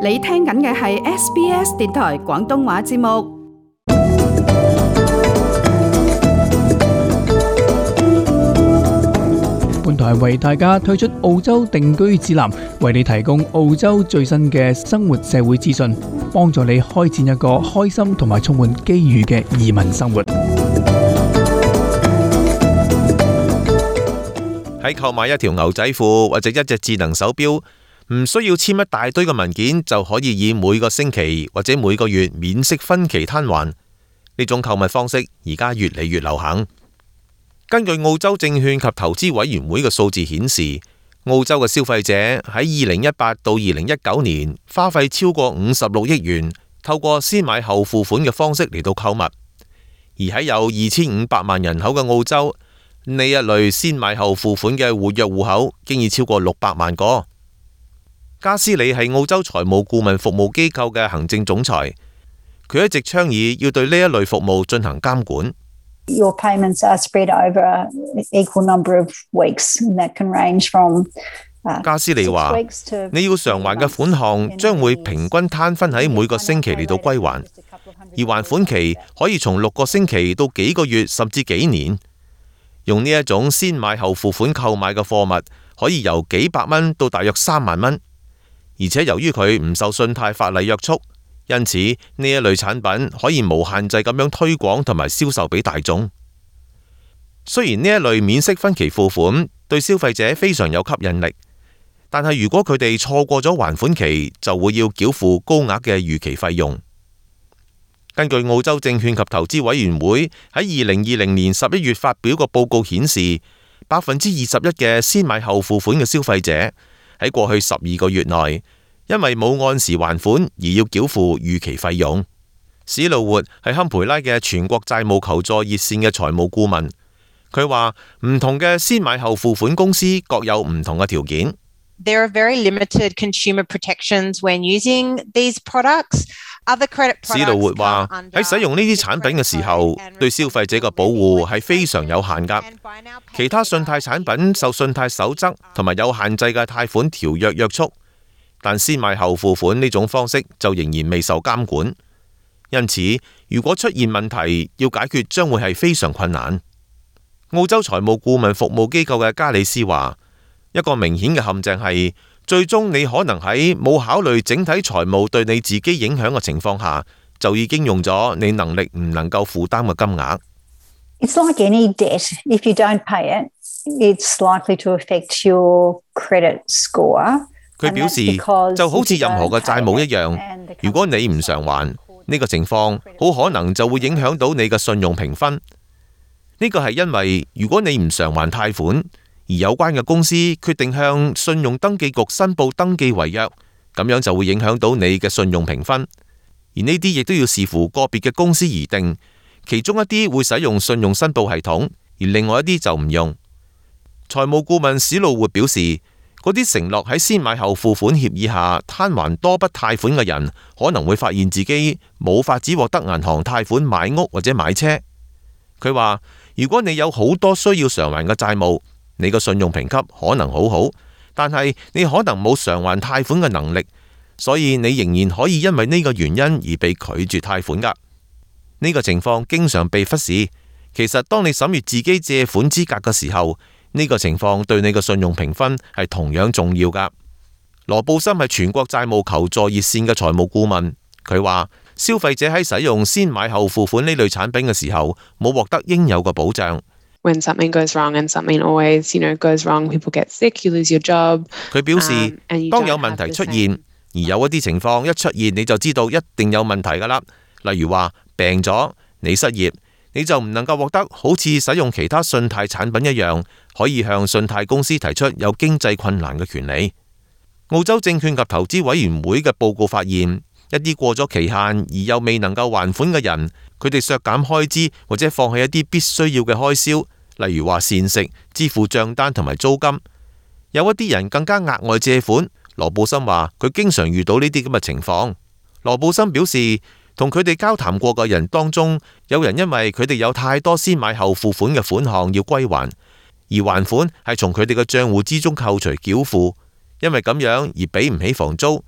你聽緊嘅係 SBS 電台廣東話節目。本台為大家推出澳洲定居指南，為你提供澳洲最新嘅生活社會資訊，幫助你開展一個開心同埋充滿機遇嘅移民生活。喺購買一條牛仔褲或者一隻智能手錶，唔需要簽一大堆嘅文件就可以以每個星期或者每個月免息分期攤還。呢種購物方式而家越嚟越流行。根據澳洲證券及投資委員會嘅數字顯示，澳洲嘅消費者喺2018到2019年花費超過56億元，透過先買後付款嘅方式嚟到購物。而喺有2500萬人口嘅澳洲，呢一類先買後付款嘅活躍戶口經已超過600萬個。加斯里係澳洲財務顧問服務機構嘅行政總裁，佢一直倡議要對呢一類服務進行監管。Your payments are spread over an equal number of weeks, and that can range from 加斯里話，你要償還嘅款項將會平均攤分喺每個星期嚟到歸還，而還款期可以從6個星期到幾個月甚至幾年。用呢一種先買後付款購買嘅貨物，可以由幾百蚊到大約3萬蚊，而且由於佢唔受信貸法例約束，因此呢一類產品可以無限制咁樣推廣同埋銷售俾大眾。雖然呢一類免息分期付款對消費者非常有吸引力，但係如果佢哋錯過咗還款期，就會要繳付高額嘅逾期費用。根據澳洲證券及投資委員會喺2020年11月發表個報告顯示，21%嘅先買後付款嘅消費者喺過去12個月內，因為冇按時還款而要繳付逾期費用。史路活係堪培拉嘅全國債務求助熱線嘅財務顧問，佢話唔同嘅先買後付款公司各有唔同嘅條件。There are very limited consumer protections when using these products. 史路活話喺使用呢啲產品嘅時候，對消費者嘅保護係非常有限㗎。其他信貸產品受信貸守則同埋有限制嘅貸款條約約束，但先買後付款呢種方式就仍然未受監管。因此，如果出現問題，要解決將會係非常困難。澳洲財務顧問服務機構嘅加里斯話，一個明顯嘅陷阱係，最終你可能喺冇考慮整體財務對你自己影響嘅情況下，就已經用咗你能力唔能夠負擔嘅金額。It's like any debt. If you don't pay it, it's likely to affect your credit score. 佢表示，就好似任何嘅債務一樣，如果你唔償還，呢個情況好可能就會影響到你嘅信用評分。呢個係因為如果你唔償還貸款，而有關嘅公司決定向信用登記局申報登記違約，咁樣就會影響到你嘅信用評分。而呢啲亦都要視乎個別嘅公司而定，其中一啲會使用信用申報系統，而另外一啲就唔用。財務顧問史路活表示，嗰啲承諾喺先買後付款協議下攤還多筆貸款嘅人，可能會發現自己冇法子獲得銀行貸款買屋或者買車。佢話，如果你有好多需要償還嘅債務，你個信用評級可能好好，但係你可能冇償還貸款嘅能力，所以你仍然可以因為呢個原因而被拒絕貸款㗎。呢個情況經常被忽視。其實當你審閱自己借款資格嘅時候，呢個情況對你嘅信用評分係同樣重要㗎。羅布森係全國債務求助熱線嘅財務顧問，佢話消費者喺使用先買後付款呢類產品嘅時候，冇獲得應有嘅保障。When something goes wrong, and something always, goes wrong, people get sick, you lose your job. 佢表示，當有問題出現，而有一啲情況一出現，你就知道一定有問題㗎啦。例如話病咗，你失業，你就唔能夠獲得好似使用其他信貸產品一樣，可以向信貸公司提出有經濟困難嘅權利。澳洲證券及投資委員會嘅報告發現，一啲過咗期限而又未能夠還款嘅人，佢哋削減開支或者放棄一啲必須要嘅開銷，例如話膳食、支付賬單同埋租金。有一啲人更加額外借款。羅布森話佢經常遇到呢啲咁嘅情況。羅布森表示，同佢哋交談過嘅人當中，有人因為佢哋有太多先買後付款嘅款項要歸還，而還款係從佢哋嘅賬戶之中扣除繳付，因為咁樣而俾唔起房租。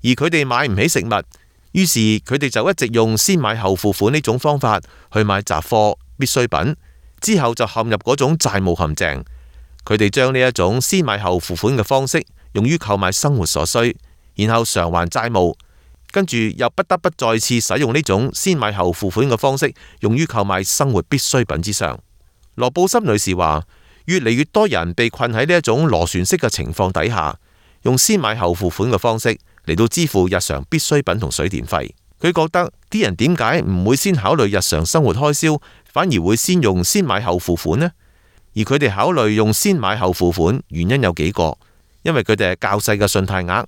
而佢哋買唔起食物，於是佢哋就一直用先買後付款呢種方法去買雜貨、必需品，之後就陷入嗰種債務陷阱。佢哋將呢一種先買後付款嘅方式用於購買生活所需，然後償還債務，跟住又不得不再次使用呢種先買後付款嘅方式用於購買生活必需品之上。羅布森女士話，越嚟越多人被困喺呢一種螺旋式嘅情況底下，用先買後付款嘅方式嚟到支付日常必需品同水電費。佢覺得啲人點解唔會先考慮日常生活開銷，反而會先用先買後付款呢？而佢哋考慮用先買後付款，原因有幾個，因為佢哋係較細嘅信貸額，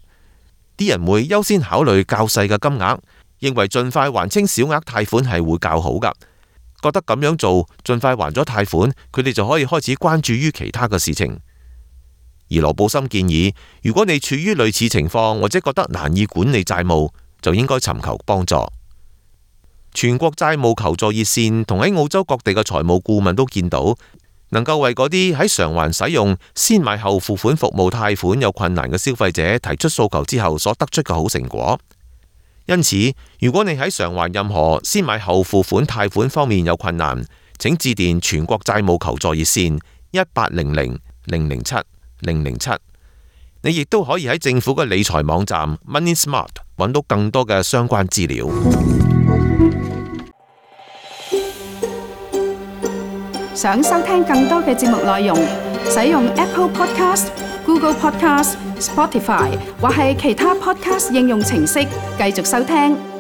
啲人會優先考慮較細嘅金額，認為盡快還清小額貸款係會較好㗎。覺得咁樣做，盡快還咗貸款，佢哋就可以開始關注於其他嘅事情。而羅布森建議，如果你處於類似情況，或者覺得難以管理債務，就應該尋求幫助。全國債務求助熱線同喺澳洲各地嘅財務顧問都見到，能夠為嗰啲喺償還使用先買後付款服務貸款有困難嘅消費者提出訴求之後所得出嘅好成果。因此，如果你喺償還任何先買後付款貸款方面有困難，請致電全國債務求助熱線1800-007-007。你亦都可以喺政府嘅理財網站 Money Smart 揾到更多嘅相關資料。想收聽更多嘅節目內容，使用 Apple Podcast、Google Podcast、Spotify 或係其他 Podcast 應用程式繼續收聽。